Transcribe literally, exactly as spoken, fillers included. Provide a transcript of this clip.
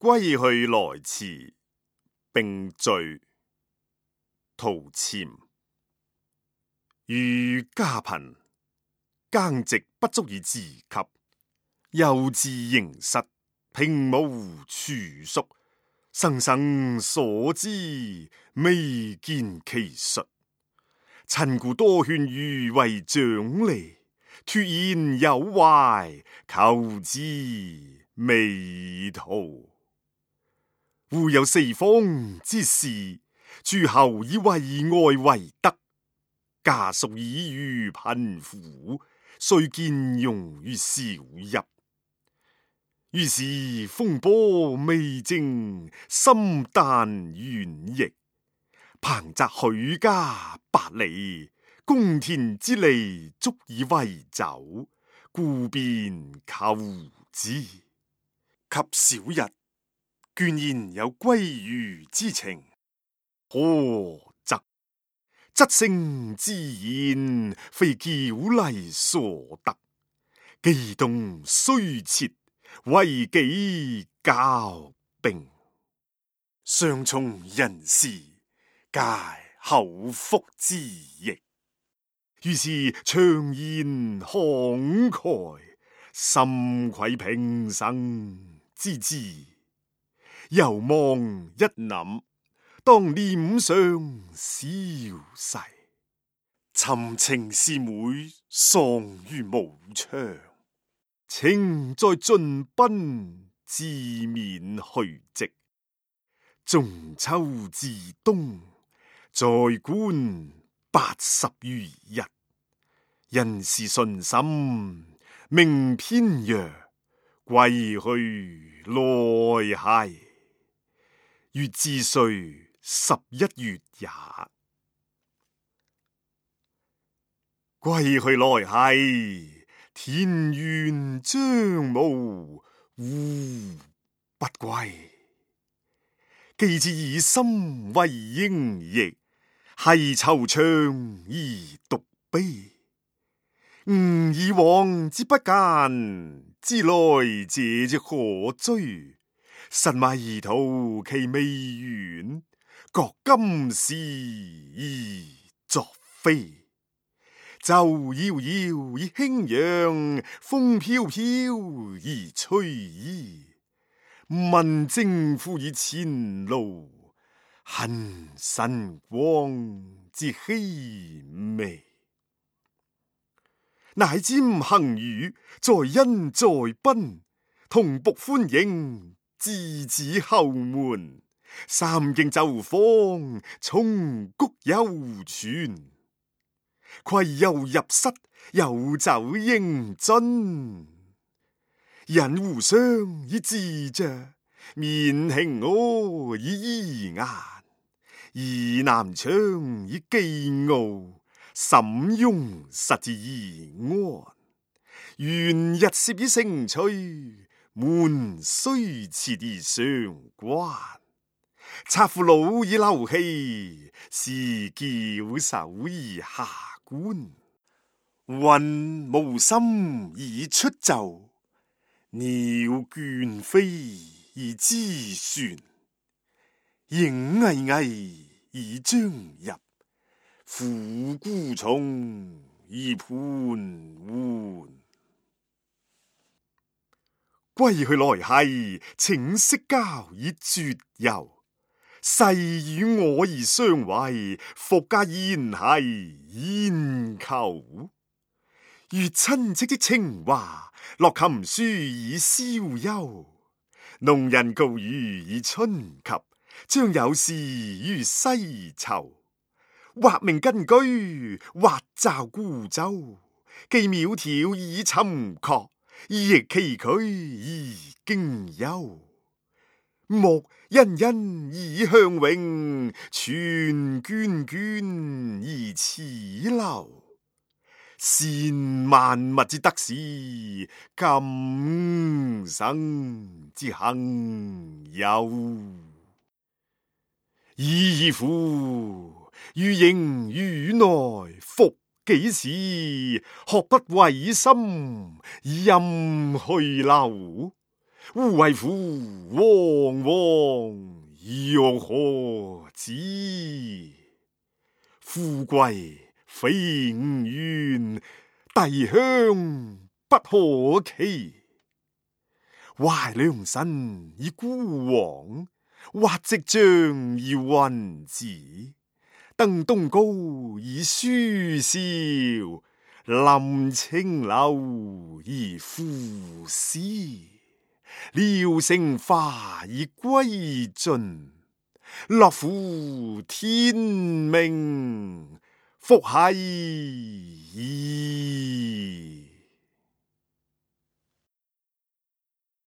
歸去來辭，並序。陶潛。遇家貧，耕植不足以自給，幼稚盈室，平無處宿。生生所知，未見其術。親故多勸余為長吏，脫言有懷，求之未途。故有四方之士，諸侯以為外為德，家屬以虞貧苦，遂見用於小邑。於是風波未靜，心旦遠逸。彭澤許家百里，公田之利足以為酒，故便求之。及小日，倦言有歸余之情，何則？質聲之言，非矯麗所得，機動雖切，為己交兵。上從人事，皆口腹之役。於是長言慷慨，心愧平生之志。又望一諗，當臉上消逝，尋情師妹喪於武昌。情在盡奔，自免去跡。中秋至冬，在官八十餘日。人事順心，名偏弱，歸去來兮。月至歲十一月也。歸去來兮，田園將暮，吾不歸。既知以心為應役，繫惆悵而獨悲。吾以往之不諫，知來者之可追。實迷途其未遠，覺今是而昨非。舟遙遙以輕揚，風飄飄而吹衣。問征夫以前路，恨晨光之熹微。乃瞻行雨，在恩在賓，同僕歡迎，稚子後門。三徑走訪，松谷幽泉。攜油入室，有酒應樽。人互相以自着，面輕我以怡顏。倚南窗以寄傲，沈庸實之宜安。懸日攝以聲趣，門雖設而相關。策父老以流氣，侍矯首以下觀。雲無心以出岫，鳥倦飛以知旋。影巍巍以將入，虎姑從以盤桓。歸去來兮，請息交以絕遊。誓與我而相違，復加言兮焉求？如親戚的情話，樂琴書以消休。農人告余以春及，將有事於西疇。或命根居，或驟孤舟。既窈窕以尋壑，亦崎嶇而經幽。木欣欣以向榮，泉涓涓而齒流。善萬物之得失，今生之幸有。已矣乎！余盈余內，復幾時？學不違心，任去留。胡為乎惶惶，若可知？富貴非吾願，帝鄉不可期。懷良辰以孤往，或夕陽以雲止。登東皋以舒嘯，臨清流以賦詩。聊乘華以歸盡，樂乎天命，復繫矣。